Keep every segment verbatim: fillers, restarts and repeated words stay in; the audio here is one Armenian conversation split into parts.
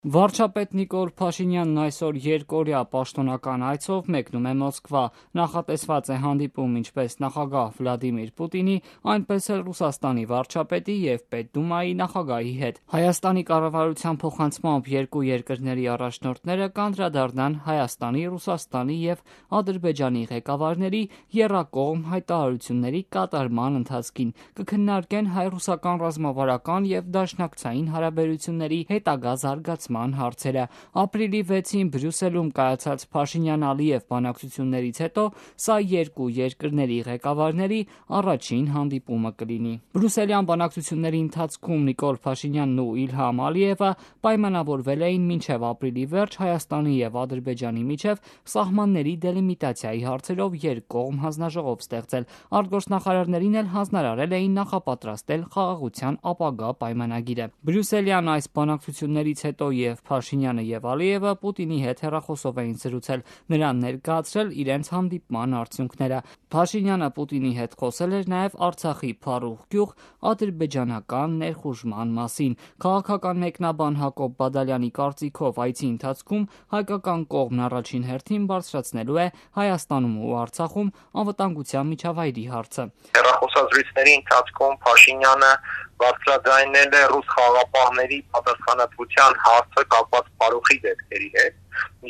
Վարչապետ Նիկոլ Փաշինյանն այսօր երկօրյա պաշտոնական այցով մեկնում է Մոսկվա: Նախատեսված է հանդիպում ինչպես նախագահ Վլադիմիր Պուտինի, այնպես էլ Ռուսաստանի վարչապետի և Պետդումայի նախագահի հետ: Հայաստանի կառավարության փոխանցմամբ երկու երկրների առաջնորդները կանդրադառնան Հայաստանի, Ռուսաստանի և Ադրբեջանի ղեկավարների եռակողմ հայտարարությունների կատարման ընթացքին, կքննարկեն հայ-ռուսական ռազմավարական և դաշնակցային հարաբերությունների հետագա զարգացման հարցերը: Ապրիլի վեցին Բրյուսելում կայացած Փաշինյան-Ալիև բանակցություններից հետո սա երկու երկրների ղեկավարների առաջին հանդիպումը կլինի: Բրյուսելյան բանակցությունների ընթացքում Նիկոլ Փաշինյանն ու Իլհամ Ալիևը պայմանավորվել էին մինչև ապրիլի վերջ Հայաստանի և Ադրբեջանի միջև սահմանների դելիմիտացիայի հարցերով երկկողմ հանձնաժողով ստեղծել: Արտգործնախարարներին էլ հանձնարարել էին նախապատրաստել խաղաղության ապագա պայմանագիրը: Բրյուսելյան այս բանակցություններից հետո և Փաշինյանը և Ալիևը Պուտինի հետ հեռախոսով էին զրուցել, նրան ներկայացրել իրենց հանդիպման արդյունքները: Փաշինյանը Պուտինի հետ խոսել էր նաև Արցախի Փարուխ գյուղ ադրբեջանական ներխուժման մասին: Քաղաքական մեկնաբան Հակոբ Բադալյանի կարծիքով այցի ընթացքում հայկական կողմն առաջին հերթին բարձրացնելու է Հայաստանում ու Արցախում անվտանգության միջավայրի հարցը: Հեռախոսազրույցների ընթացքում Փաշինյանը բարձրաձայնել է ռուս խաղաղապահների պատասխանատվության հարցը կապված Փարուխի դեպքերի հետ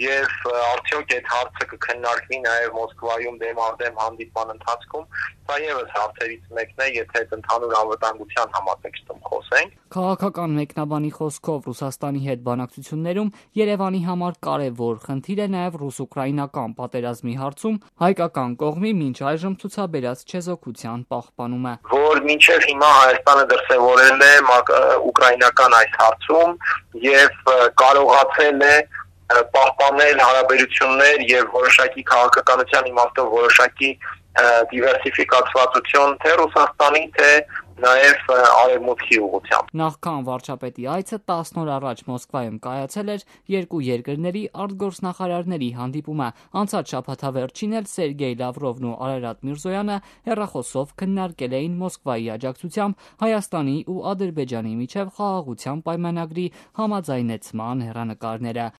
և արդյոք այդ հարցը կքննարկվի նաև Մոսկվայում դեմառդեմ հանդիպման ընթացքում: Սա ևս հարցերից մեկն է, եթե այդ ընդհանուր անվտանգության համատեքստում խոսենք: Քաղաքական մեկնաբանի խոսքով Ռուսաստանի հետ բանակցություններում Երևանի համար կարևոր խնդիր է նաև ռուս-ուկրաինական պատերազմի հարցում հայկական կողմի մինչ այժմ ցուցաբերած չեզոքության պահպանումը: Որ մինչև հիմա Հայաստանը դրսևորել է ուկրաինական այս հարցում և կարողացել է պահպանել հարաբերություններ և որոշակի քաղաքականության իմաստով որոշակի դիվերսիֆիկացվածություն թե Ռուսաստանի, թե նաև Արևմուտքի ուղղությամբ: Նախքան վարչապետի այցը տասն օր առաջ Մոսկվայում կայացել էր երկու երկրների արտգործնախարարների հանդիպումը: Անցած շաբաթավերջին էլ Սերգեյ Լավրովն ու Արարատ Միրզոյանը հեռախոսով քննարկել էին Մոսկվայի աջակցությամբ Հայաստանի ու Ադրբեջանի միջև խաղաղության պայմանագրի համաձայնեցման հեռանկարները: